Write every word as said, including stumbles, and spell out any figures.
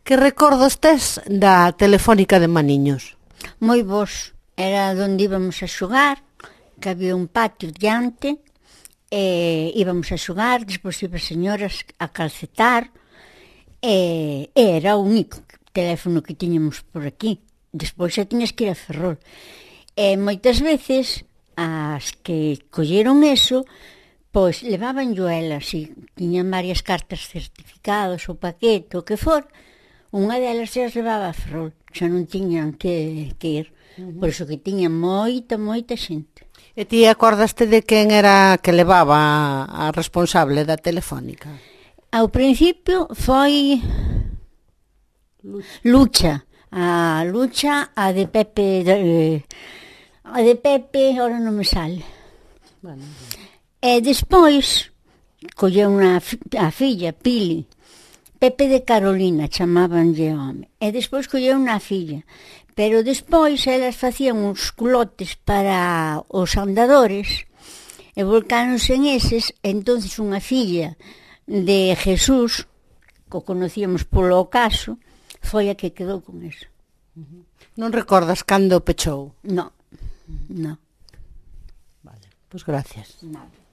Que recordos tes da Telefónica de Maniños? Moi bons. Era onde íbamos a xogar, que había un patio diante, e íbamos a xogar, despois iba as señoras a calcetar, e era o único teléfono que tiñamos por aquí. Despois xa tiñas que ir a Ferrol. E moitas veces, as que colleron eso, pois levaban yo elas, e tiñan varias cartas certificados, o paquete, o que for, unha delas xa as levaba a Ferrol, xa non tiñan que, que ir. Uh-huh. Por iso que tiña moita, moita xente. E ti acordaste de quen era que levaba a responsable da Telefónica? Ao principio foi Lucha, Lucha a Lucha, a de Pepe, de, a de Pepe, ahora non me sale. Bueno. E despois colleu unha, a filla, Pili, Pepe de Carolina, chamabanlle home. E despois colleu unha filla. Pero despois elas facían uns culotes para os andadores e volcáronse en eses, e entonces unha filla de Jesús, que o conocíamos polo ocaso, foi a que quedou con eso. Uh-huh. Non recordas cando pechou? No, no. Vale, pois gracias. Nada.